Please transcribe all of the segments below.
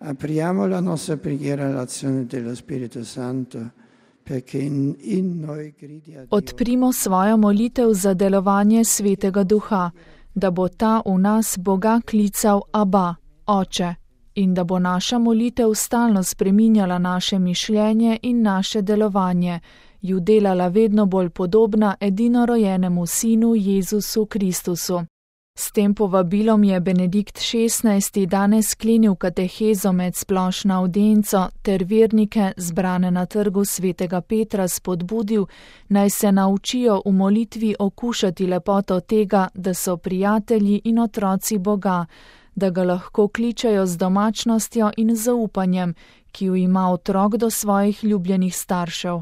Apriamo la nostra preghiera all'azione dello Spirito Santo, perché in noi gridi a Dio. Odprimo svojo molitev za delovanje Svetega Duha, da bo ta v nas Boga klical Aba, Oče, in da bo naša molitev stalno spreminjala naše mišljenje in naše delovanje, ju delala vedno bolj podobna edinorojenemu Sinu Jezusu Kristusu. S tem povabilom je Benedikt XVI. Danes sklenil katehezo med splošno avdienco ter vernike, zbrane na trgu Svetega Petra, spodbudil, naj se naučijo v molitvi okušati lepoto tega, da so prijatelji in otroci Boga, da ga lahko kličejo z domačnostjo in zaupanjem, ki jo ima otrok do svojih ljubljenih staršev.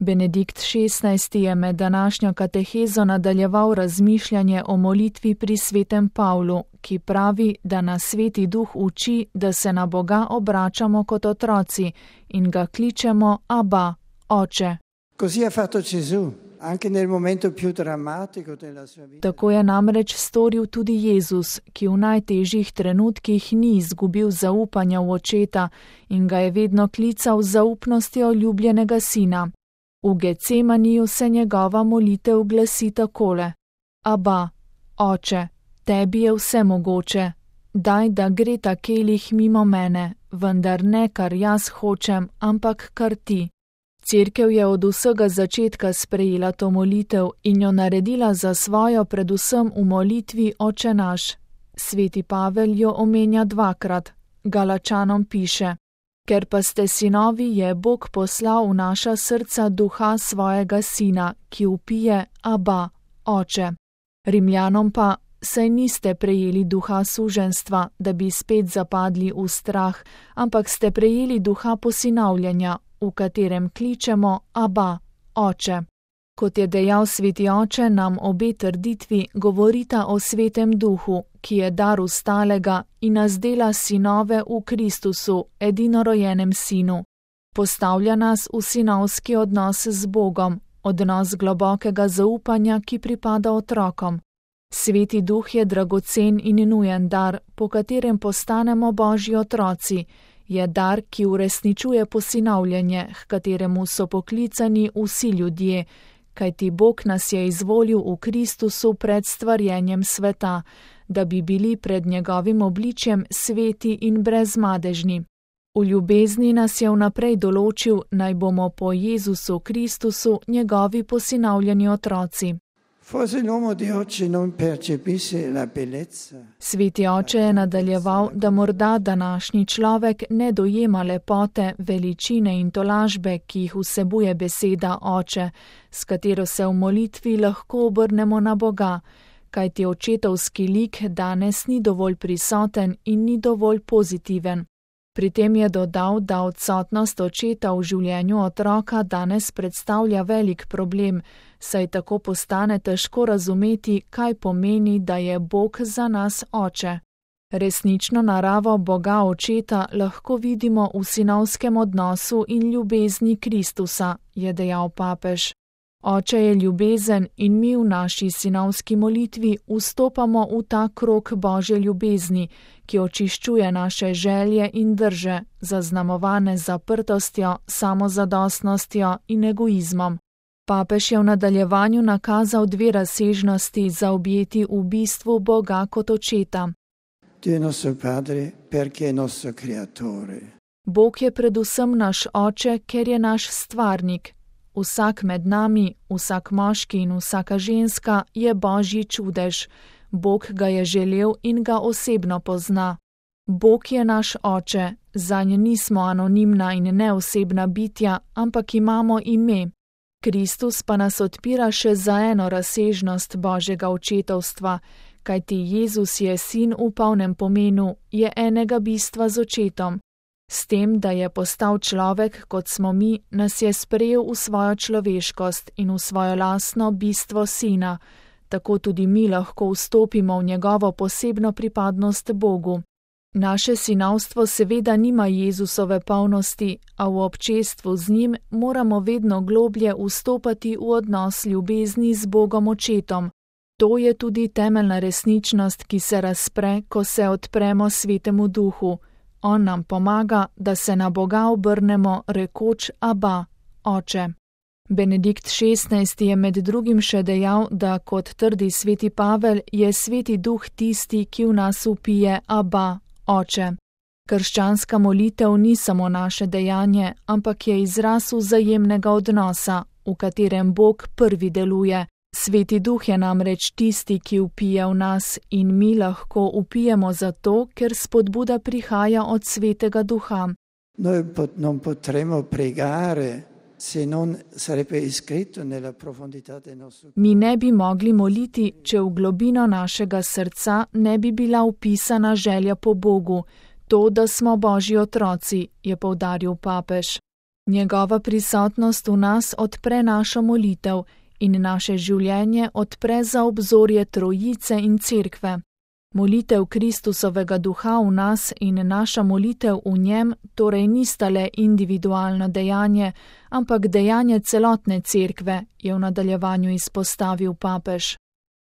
Benedikt XVI. Je med današnjo katehezo nadaljeval razmišljanje o molitvi pri svetem Pavlu, ki pravi, da nas Sveti Duh uči, da se na Boga obračamo kot otroci in ga kličemo Aba, Oče. Così ha fatto Gesù, anche nel momento più drammatico della sua vita. Tako je namreč storil tudi Jezus, ki v najtežjih trenutkih ni izgubil zaupanja v Očeta in ga je vedno klical z zaupnostjo ljubljenega sina. V Getsemaniju se njegova molitev glasi takole: Aba, Oče, tebi je vse mogoče, daj, da gre ta kelih mimo mene, vendar ne kar jaz hočem, ampak kar ti. Cerkev je od vsega začetka sprejela to molitev in jo naredila za svojo predvsem v molitvi Oče naš. Sveti Pavel jo omenja dvakrat. Galačanom piše: Ker pa ste sinovi, je Bog poslal v naša srca duha svojega sina, ki vpije Aba, Oče. Rimljanom pa: Saj niste prejeli duha suženjstva, da bi spet zapadli v strah, ampak ste prejeli duha posinavljanja, v katerem kličemo Aba, Oče. Kot je dejal Sveti Oče, nam obe trditvi govorita o Svetem Duhu, ki je dar ustalega in nas dela sinove v Kristusu, edinorojenem Sinu. Postavlja nas v sinovski odnos z Bogom, odnos globokega zaupanja, ki pripada otrokom. Sveti Duh je dragocen in nujen dar, po katerem postanemo Božji otroci. Je dar, ki uresničuje posinavljanje, h kateremu so poklicani vsi ljudje, kajti Bog nas je izvolil v Kristusu pred stvarjenjem sveta, da bi bili pred njegovim obličjem sveti in brezmadežni. V ljubezni nas je vnaprej določil, naj bomo po Jezusu Kristusu njegovi posinavljeni otroci. Sveti Oče je nadaljeval, da morda današnji človek ne dojema lepote, veličine in tolažbe, ki jih vsebuje beseda Oče, s katero se v molitvi lahko obrnemo na Boga, kajti očetovski lik danes ni dovolj prisoten in ni dovolj pozitiven. Pri tem je dodal, da odsotnost očeta v življenju otroka danes predstavlja velik problem, saj tako postane težko razumeti, kaj pomeni, da je Bog za nas Oče. Resnično naravo Boga Očeta lahko vidimo v sinovskem odnosu in ljubezni Kristusa, je dejal papež. Oče je ljubezen in mi v naši sinovski molitvi vstopamo v ta krog Božje ljubezni, ki očiščuje naše želje in drže, zaznamovane zaprtostjo, samozadostnostjo in egoizmom. Papež je v nadaljevanju nakazal dve razsežnosti za objeti v bistvu Boga kot Očeta. Bog je predvsem naš Oče, ker je naš stvarnik. Vsak med nami, vsak moški in vsaka ženska je Božji čudež. Bog ga je želel in ga osebno pozna. Bog je naš Oče, zanj nismo anonimna in neosebna bitja, ampak imamo ime. Kristus pa nas odpira še za eno razsežnost Božjega očetovstva, kajti Jezus je sin v polnem pomenu, je enega bistva z Očetom. S tem, da je postal človek, kot smo mi, nas je sprejel v svojo človeškost in v svojo lastno bistvo sina, tako tudi mi lahko vstopimo v njegovo posebno pripadnost Bogu. Naše sinovstvo seveda nima Jezusove polnosti, a v občestvu z njim moramo vedno globlje vstopati v odnos ljubezni z Bogom Očetom. To je tudi temeljna resničnost, ki se razpre, ko se odpremo Svetemu Duhu. On nam pomaga, da se na Boga obrnemo, rekoč Aba, Oče. Benedikt XVI je med drugim še dejal, da kot trdi sveti Pavel, je Sveti Duh tisti, ki v nas vpije Aba, Oče. Krščanska molitev ni samo naše dejanje, ampak je izraz vzajemnega odnosa, v katerem Bog prvi deluje. Sveti Duh je namreč tisti, ki vpije v nas, in mi lahko vpijemo zato, ker spodbuda prihaja od Svetega Duha. Noi non potremo pregare se non sarebbe iscritto nella profondità del nostro cuore. Mi ne bi mogli moliti, če v globino našega srca ne bi bila vpisana želja po Bogu, to, da smo Božji otroci, je poudaril papež. Njegova prisotnost v nas odpre našo molitev in naše življenje odpre za obzorje Trojice in Cerkve. Molitev Kristusovega Duha v nas in naša molitev v njem torej nista le individualno dejanje, ampak dejanje celotne Cerkve, je v nadaljevanju izpostavil papež.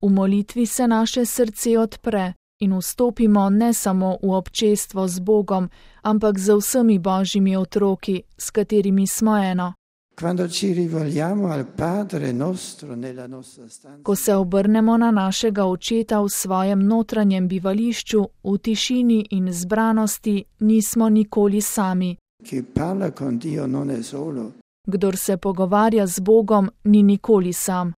V molitvi se naše srce odpre in vstopimo ne samo v občestvo z Bogom, ampak z vsemi Božjimi otroki, s katerimi smo eno. Ko se obrnemo na našega Očeta v svojem notranjem bivališču, v tišini in zbranosti, nismo nikoli sami. Kdor se pogovarja z Bogom, ni nikoli sam.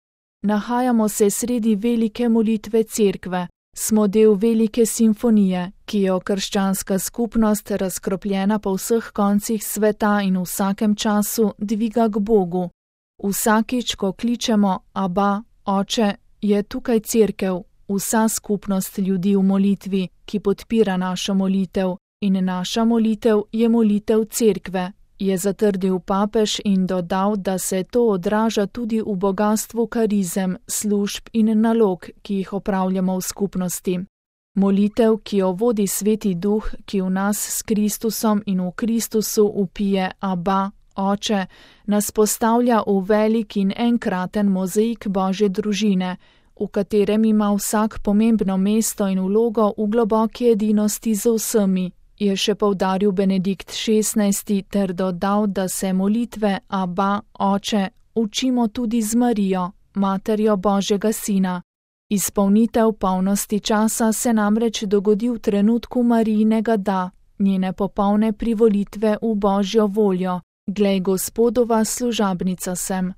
Nahajamo se sredi velike molitve Cerkve. Smo del velike simfonije, ki jo krščanska skupnost, razkropljena po vseh koncih sveta in v vsakem času, dviga k Bogu. Vsakič, ko kličemo Aba, Oče, je tukaj Cerkev, vsa skupnost ljudi v molitvi, ki podpira našo molitev, in naša molitev je molitev Cerkve, je zatrdil papež in dodal, da se to odraža tudi v bogastvu karizem, služb in nalog, ki jih opravljamo v skupnosti. Molitev, ki jo vodi Sveti Duh, ki v nas s Kristusom in v Kristusu vpije Aba, Oče, nas postavlja v velik in enkraten mozaik Božje družine, v katerem ima vsak pomembno mesto in vlogo v globoki edinosti z vsemi, je še poudaril Benedikt XVI ter dodal, da se molitve Aba, Oče, učimo tudi z Marijo, materjo Božjega Sina. Izpolnitev polnosti časa se namreč dogodi v trenutku Marijinega da, njene popolne privolitve v Božjo voljo. Glej, Gospodova služabnica sem.